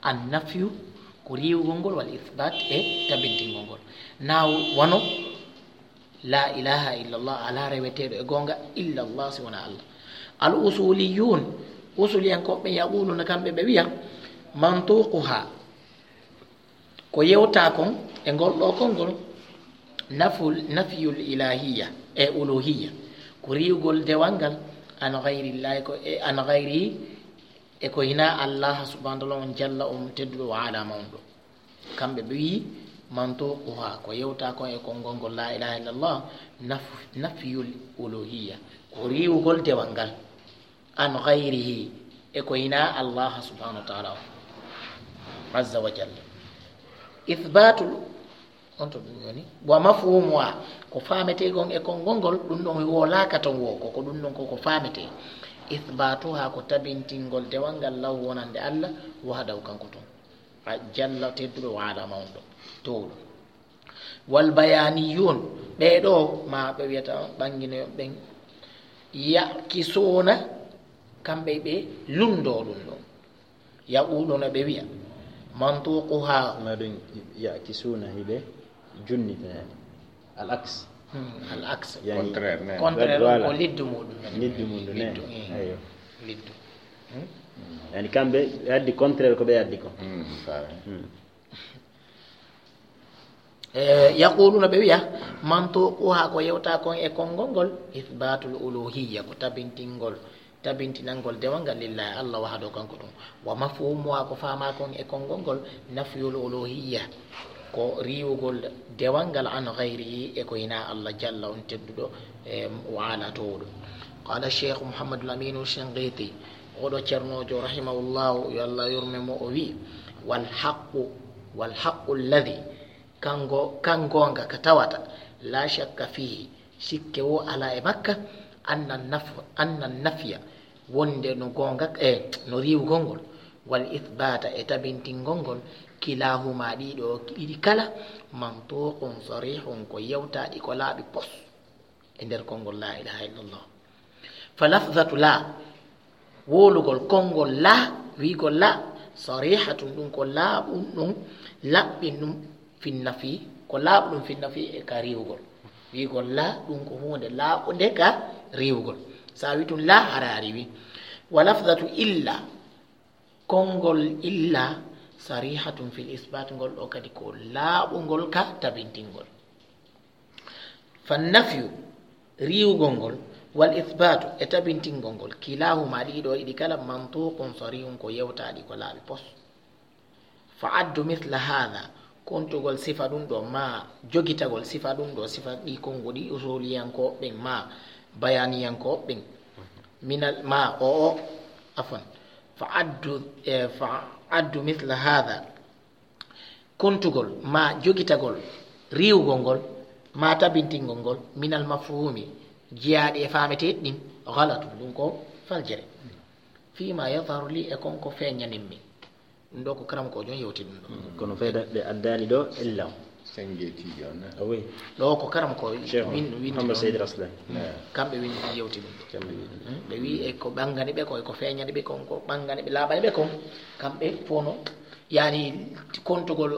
an nafyu, ko riiwgol ngol, wal isbat, e tabintingol ngol. Na wano, la ilaha illallah, alaa reweteeɗo e goonga illallah, si wonaa Allah. Al usuliyun, usuliyankooɓe yaquluna, kamɓe ɓe wiya, mantuquha, ko yewta kon e ngol ɗo konngol, naful, nafyul ilahiyya e uluhiyya, ko riiwgol dewal ngal an ghayrillahi, ko e an ghayrihi, e ko hinaa Allah subhanahu wa ta'ala on jalla, on tedduɗo, wa ala mawnuɗo. Kamɓe ɓe wiyi, mantuquha, ko yewta kon e konngol ngol la ilaha illallah, naf-, nafyul uluhiyya, ko riiwgol dewal ngal. An ghayrihi, e ko hinaa Allah subhanahu wa ta'ala on. Azza wa jalla. Ithbatul, on to ɗum woni. Wa mafhumuha, ko faametee kon e konngol ngol, ɗum ɗon wolaaka ton wo, ko, ko ɗum ɗon ko, ko faametee. Ithbatuha, ko tabintingol dewal ngal lahu wonande Allah, wahdahu kanko tun. A jalla tedduɗo, wa ala mawnuɗo, towɗo. Wal bayaniyun, ɓee ɗo, ma ɓe wiyata ɓannginoyo ɓen, yakisuna, kamɓe ɓe lunndoo ɗum ɗon. Yaquluna, ɓe wiya, mantuquha. Ma ɗum yakisuna, hiɓe junni ɓe, yani. Al aks. Hmm, al aks. Yani, contraire, ne. Contraire on, voilà, ko liddu muɗum, ne. Liddu muɗum, ne. Liddu, hmm. Aywa. Liddu. Hmm? Yani, kamɓe addi contraire ko ɓe addi ko. Hmm, faami. Hmm. E, yaquluna, ɓe wiya, mantuquha, ko yewta kon e konngol ngol, ithbatul uluhiyya, ko tabintingol, tabintinangol dewal ngal lillahi, Allah wahdahu, kanko tun. Wa mafhumuha, ko faama kon e konngol ngol, nafyul uluhiyya, ko riiwugol dewal ngal an ghayrihi, e ko hinaa Allah jalla on tedduɗo, e, wa ala towɗo. Qala Cheikh Muhammadul Aminu Shinqiti, oɗo ceernoojo rahimahullahu, yo Allah yurme mo, o wi, wal haqqu, wal haqqu alladhi, kango, kan goonga ka tawata, la shakka fihi, sikke wo alaa e makka, anna naf-, anna nafya, wonde no goonga, e, no riiwugol ngol, wal ithbata, e tabintingol ngol, kilahuma, ɗiɗo, ɗiɗi kala, mantuqun sarihun, ko yewtaaɗi ko laaɓi pos e nder konngol la ilaha illallah. Fa lafzatu la, wowlugol konngol la, wiigol la, sarihatun, ɗum ko laaɓum ɗum, laɓɓin ɗum, finnafi, ko laaɓuɗum finnafi e ka riiwugol. Wiigol la, ɗum ko huunde laaɓunde ka riiwugol. So a wi tun la, hara a riiwi. Wa lafzatu illa, konngol illa, sarihatun fil isbat, ngol ɗo kadi ko laaɓungol ka tabintingol. Fa nafyu, riiwugol ngol, wal ithbatu, e tabintingol ngol, kilahuma, ɗiɗo, ɗiɗi kala, mantuqun sarihun, ko yewtaaɗi ko laaɓi pos. Fa addu mithla hadha, kontugol sifa ɗum ɗo, ma jogitagol sifa ɗum ɗo, sifa ɗi konnguɗi usuliyankooɓe ɓen, ma bayaniyankooɓe ɓen, minal, ma o, o, afwan, fa addu, e, fa addu mithla hadha, kontugol ma jogitagol riiwugol ngol ma tabintingol ngol minal mafhumi jiyaaɗi e faameteeɗi ɗin, ghalatun, ɗum ko faljere. Fima yadharu li, e kon ko feeñanin mi. Ɗum ɗo ko karam ko jon yewti ɗum ɗo. Kono fayda ɓe addaali ɗo illa o. Sengetiijo on, eh? Ah oui. Ɗo ko karam ko Cheikh win-, win-, Muhammad Said Raslan. Eh. Kamɓe win-, yewti ɗum ɗo. Kamɓe win-, hmm? Ɓe wi e ko ɓangani ɓe ko, e ko feeñani ɓe kon, ko ɓangani ɓe, laaɓani ɓe kon. Kamɓe fof no, yani, kontugol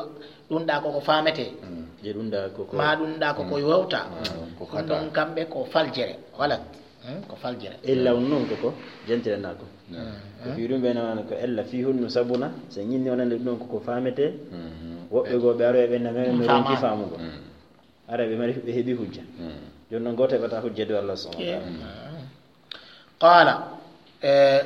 ɗum ɗa ko ko faamete. Hmm. Je ɗum ɗa ko ko ma ɗum ɗa ko ko yewta. Hmm. Ko ɗum ɗon kamɓe ko faljere. Walat. Hmm? Ko faljere. Illa on noon ko ko jentire na ko. Hmm. Ko fii ɗum ɓe nana ko ella fii honno sabuna, so ñinni wonande ɗum ɗon ko ko faamete. Hmm. Woɓɓe goo ɓe aroya ɓe nana no ronki faamugo. Hmm. Ara ɓe mari, ɓe heɓi hujja. Hmm. Jooni noon gooto heɓata hujja dow Allah subhanahu wa ta'ala. Hmm. Qala, eh,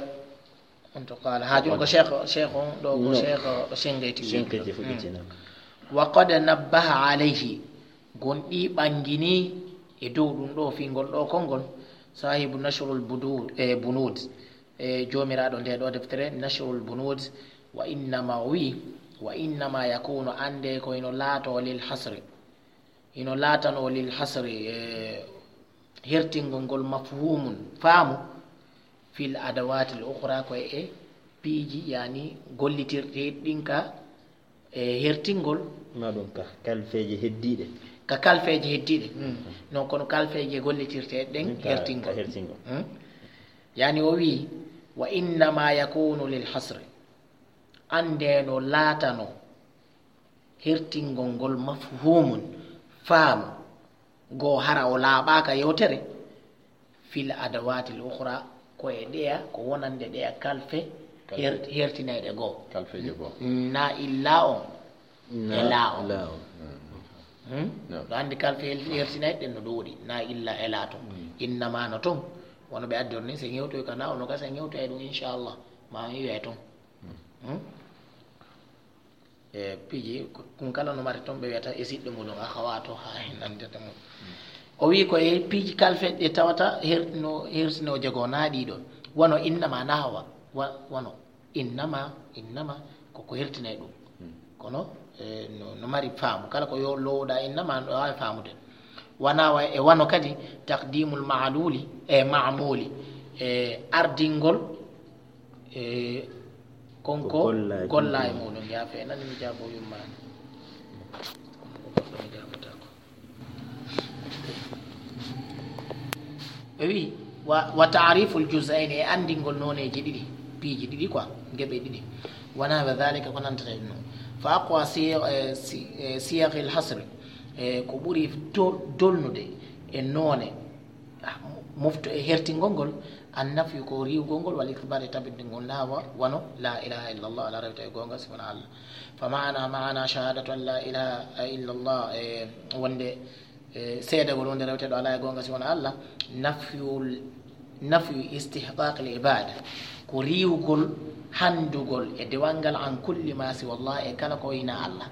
on to qala. Ha jooni ko cheikh, cheikh on ɗo ko cheikh o Shinqiti wi. Shinqiti fuɗɗiti noon. Hmm. Wa qad nabbaha alayhi. Gonɗi ɓangini e dow ɗum ɗo fingol ɗo konngol. Sahibu Nashrul Budud, eh, Bunud, eh, joomiraaɗo nde ɗo deftere Nashrul Bunud, wa innama o wi, wa innama yakunu, annde ko ino laato lil hasri. Ino laatano lil hasri, eh, hertingol ngol mafhumun, faamu, fil adawatil ukhra, ko e piiji, yani gollitirɗe ɗin ka, e hertingol. Ma ɗum ka kalfeeje heddiiɗe. Ka kalfeeje heddiiɗe. Mm. Non kono kalfeeje gollitirte ɗen ka, hertingol. Ka hertingol. Mm. Yani o wi, wa innama yakunu lil hasri. Annde no laatano hertingol ngol mafhumun, faamu, goo hara o laaɓaaka yewtere, fil adawatil ukhra, ko e ɗeya, ko wonande ɗeya kalfe, kalfe. Her-, hertinayɗe goo. Kalfeeje goo. Na illa on. Na e laa on. Laa on. Hmm? No. Ɗo anndi kalfe her-, hertinayɗe ɗen no ɗuuɗi, na illa e laa ton. Hmm. Innama no ton. Wono ɓe addi on ni, se ñewtoy ka na, ono gasa ñewtoy ɗum, inchallah. Ma on yiwe ton. Hmm? E piiji, kun kala no mari ton, ɓe wiyata e siɗɗo muɗum, akhawatu, ha nandete mum. O wi ko e piiji kalfeeje ɗe tawata her-, no hertino jogo na ɗiɗo. Wano innama na hawa, wa-, wano innama, innama ko ko hertinay ɗum. Hmm. Kono, e, no, no mari faamu. Kala ko yo lowɗa innama, no waawi faamude. Wana wa-, e wano kadi taqdimul ma'luli, e ma'muli, e ardingol E, kon ko golla e muɗum, yaafe, nani mi jaabo yummaani. Ko goɗɗo mi jaabotaako. Ɓe wi, wa, wa ta'riful juz'ayni, e anndingol nooneeji ɗiɗi, piiji ɗiɗi quoi, geɓe ɗiɗi. Wa nahwa dhalika, ko nantata e ɗum. Fa aqwa si-, e, si-, e, siyaghil hasri, e, ko ɓuri to-, dolnude e noone, ah, mo-, mofto e hertingol ngol, An nafyu ko riiwgol ngol, wal ithbaat e tabintingol, na wa-, wano, la ilaha illallah, alaa rewte e goonga si wonaa Allah. Fa maana, maana shahadatu an la ilaha illallah, e wonde, e seedagol wonde rewteeɗo alaa e goonga si wonaa Allah, nafyul, nafyu istihqaqil ibada, ko riiwgol hanndugol e dewal ngal an kulli ma siwa Allah, e kala ko hinaa Allah.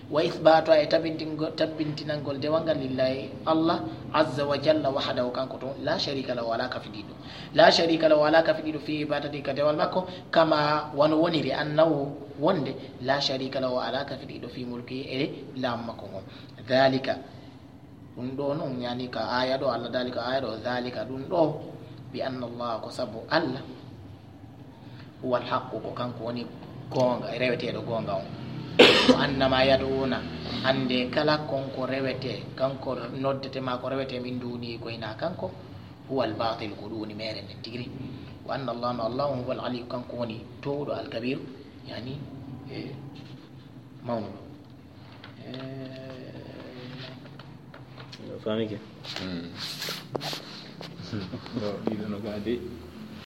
Wa ithbaatuha, e tabintingo-, tabintinangol dewal ngal lillahi Allah azza wa jalla wahdahu, kanko tun, la sharika lahu, alaa kafidiiɗo. La sharika lahu, alaa kafidiiɗo, fi ibadati, ka dewal makko, kama wano woniri, annahu, wonde, la sharika lahu, alaa kafidiiɗo, fi mulki, e laamu makko ngon. Dhalika, ɗum ɗo non, yani ka aya ɗo, Allah daali ka aya ɗo, dhalika, ɗum ɗo, bi anna Allah, ko sabu Allah, huwal haqqu, ko kanko woni goonga, reweteeɗo goonga on. Wa annama yad'una, annde kala kon ko rewete, kanko noddete ma ko rewete min duni ko hinaa kanko, huwal batil, ko ɗum woni meere nden tigi. Wa anna Allah, no Allah on, huwal aliyu, kanko woni towɗo, alkabiru, yani, e, mawnuɗo. E, famike. Hmm. Ɗo, ɗiɗo no gadi.